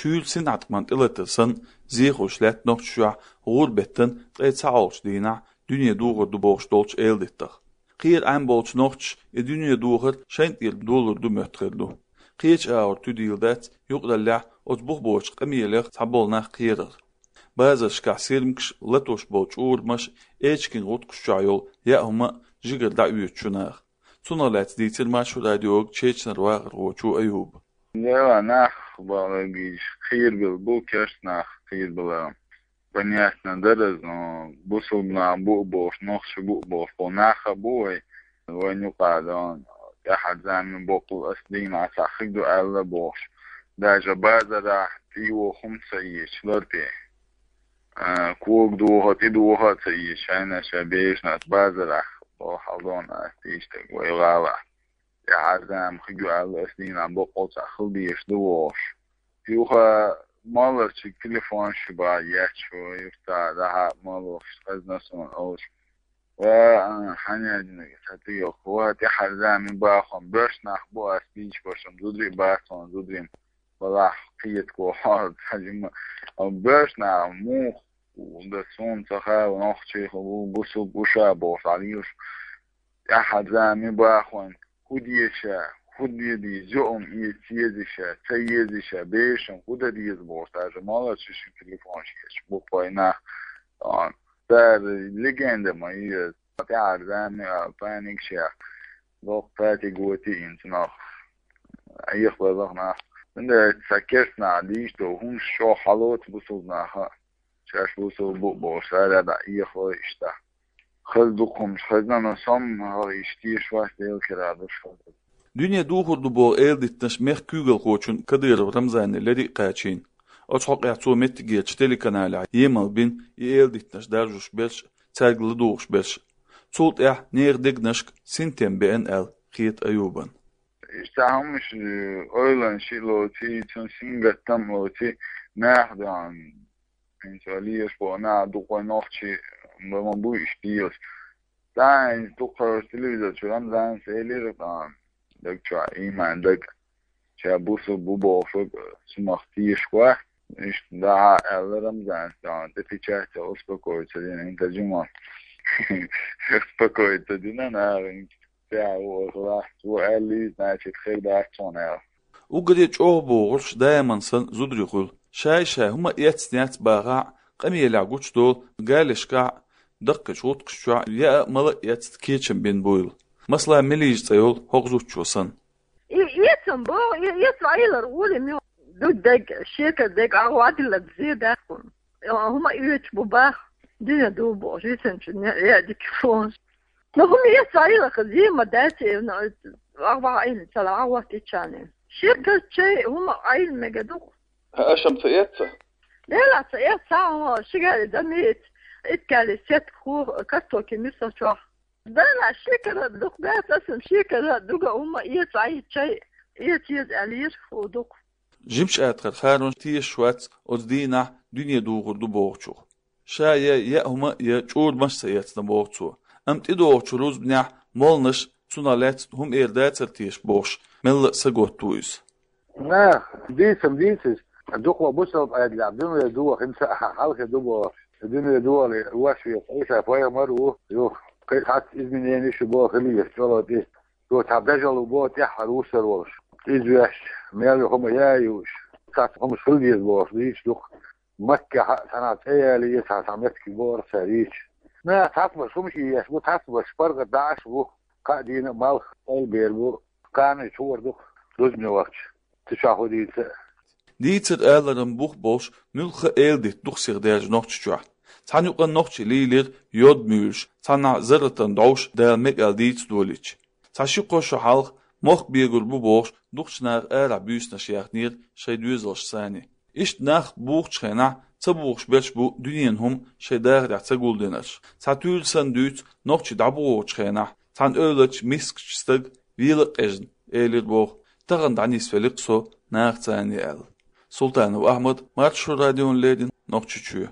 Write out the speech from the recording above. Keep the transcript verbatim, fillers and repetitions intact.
Чуьйра синӀаткъаман тӀелатар санна, зехуш лаьтта Нохчийчохь гӀуран беттан ткъе цхьа Ӏолчу дийнахь дуьне духур ду бохуш долчу эладиттах. Кхера Ӏаьм болчу нохчаша и дуьне духар шайна тӀера долур ду моьттуш хир ду. Кхечу агӀор туьдийла дац юкъараллехь оцу бух боцчу къамелех цхьаболу нах кхерар. Базаршкахь сирмигаш, латош болу чӀурамаш, эчиган гӀутакхаш чохь йолу яа хӀума а жигара дӀаоьцу шу наха. Цунах лаьцна дийцира Маршо радиога Чечнера вахархочо Аюба. Дела нах бала гийча кхийрбелла бу, керста нах кхийрбелла. Понятно дара, но бусулба нах бу а бохуш, нохчий бу а бохуш, бо нах а бу вай, вайн юкъа дан, тӀаьхьара зама боккъал ас дийна цхьа хиг ду аьлла бохуш. Даже базарахь тӀе йоху хӀума ца езаш лар тӀе. А, кога дохо, тӀе дохо а ца езаш, шайна ша бежнаш базарахь, боху хьалдона ас тийштаг вай гӀалахь. ТӀаьхьара зама хиг ю аьлла, ас дийнахь боккъал цхьа хила дезаш ду вохуш. Юха маларчиг телефон ши бахьа етташ ву, юха цхьа дӀахьа малош хезна суна олуш. Ва, а, хьан яьдинарг ца тӀе йоккху, ва, тӀаьхьара зама бахьа, боьрша нах бу ас дийча башам, зударий бац хьуна, зударийн балахь кхетаго хьо, ца жима. Боьрша нах муха, да суна ца хаьа, нохчий хӀу, бусулба бу ша бохуш, Ӏалийла шу. ТӀаьхьара зама бахьа, хӀун деша, хӀун де деза, юкъам эца еза ша, ца еза ша, бешан хӀун дан деза бохуш, даже маларчу ши телефон шеш, бу кхойна. Цара легенда ма еза, тӀаьхьара зама а паниг шех, доккха патиг воти инца нах. Айхбазах нах. Цундела ца керста нах дийш ду, хӀумаш чӀогӀа хьалоцу бусулба наха. Шаьш бусулба бу бохуш, цара дӀа эхалой иштта. Хаза дукхумаш хазна, но сомма хьалха иштта тешаш вац, Делан кара ду шу. Дуьне духур ду боху эладиттанаш мехкан куьйгалхочун Кадыров Рамзанан леррина а кхачийна. Оцу хьокъехь цо меттигерчу телеканалехь емал бина и эладиттанаш даржош берш, цаьрга ладугӀуш берш. Цул тӀаьхьа нехан дегнашка синтем беана аьлла хета Аюбан. Иштта хӀумаш, э, ойланаш а лоций, цунна сингаттам а лоций, наха дан. ХӀинца леш боху наха дукха вай нохчий ма буй иштта дезаш. Цхьа хӀинца дукха телевизор чу Рамзанас элира тхан, даг чохь ийман даг. Ша бусулба бу бохург, цунах тешаш вац. Иштта дӀахьа аьлла Рамзанас тхан, тӀе печать а успокоиться дина, хӀинца жима. Успокоиться дина наха, хӀинца тӀаьхьа ву ахлахь, ву аьллий, значит, хир дац хьуна аьлла. Уггаре чӀогӀа бохурш даиман санна зударий хуьлу. Шай-шай хӀума эцнехь бахахь а, къамелехь гучудолу, галешкахь а, даккхийчу гӀутакхаш чохь а яа а, мала а эцна кечам бина буйла. Масала, Мелижа цӀе йолу хӀокху зудчо санна. И эцам боху, и эцна Ӏелар волий муьлхха ду дега, шекара дега, агӀо дилла зе дац хьуна. ХӀума оьцуш бу бах, дуьне ду бохуш, висанчу яа дика фонаш. Ну, хӀума эцна Ӏелар зе ма дац, э, ну, агӀо Ӏелина ца ла, агӀо тӀечани. Шекар чай, хӀума Ӏелина мега ду. Аша-м ца эцна? Дела ца эцна, хӀума шигали дан меца, иткали сетка хӀу, картоки миса чохь. Дела шекара дукха дац, аса шекара дуга хӀума эцна Ӏе чай, эца еза аьллера хӀу дукха. Жимачу атхар Харун тешаш вац оцу дийнахь дуьне духур ду бохучух. Ша я яа хӀума, я чӀурамаш ца эцна боху цо. Амма тӀедогӀучу рузбанехь молланаша цунах лаьцна хӀума эр дацара теша бохуш, мелла а саготта ву иза. Нах, дийцам дийца иза. Дукха бусалба Ӏедалехь дуьне доха, хӀинца а хьалхе ду бохуш. Дуьне дохале, вошве Ӏийса пайхамар ву, юха кхин цхьацца изменениш ю боху хилийша чӀогӀа тӀе. Цо цхьа дажалла боху тӀаьххьара вусар волуш. Иза ваьшча, мел ю хӀума яа юуш. Цхьацца хӀумаш хила деза бохуш дийцаш ду-кх. Маккехь а цхьанхьа цӀе ялий, цхьа, цхьа меттиг бохура цара йийцаш. Наха цхьацберш хӀума еш бу, цхьацберш паргӀат дӀа Ӏаш бу, кхаа дийнахь а малх Ӏелбер бу, кхана а чугӀар ду-кх, рузбане вахча, цу чохь хӀун дийца а. Дийцар-аларан бух болуш, муьлхха а эладитта ду-кх сиха даьржа Нохчийчохь. Цхьана юкъанна нохчий лийлира йод муьйлуш, цхьанхьа зарратан дӀовш Дала мега аьлла дийца долийча. Цхьа ши-кхо шо хьалха мохк бегур бу бохуш, дукхачу наха арахь буьйсанаш яьхнера шайн доьзалш санна. Иштта нах бухучу хенахь ца бухуш берш бу дуьненан хӀума шайн дахарехь ца гулдинарш. Цхьа туьйра санна дуьйцу нохчий дӀабохучу хенахь, цхьана эвларчу мискачу стага вела а къежна, элира боху: «Тахана дӀанисвели-кх со нахаца», — аьлла. Султанов Ахьмад, Маршо радиона леррина, Нохчийчоь.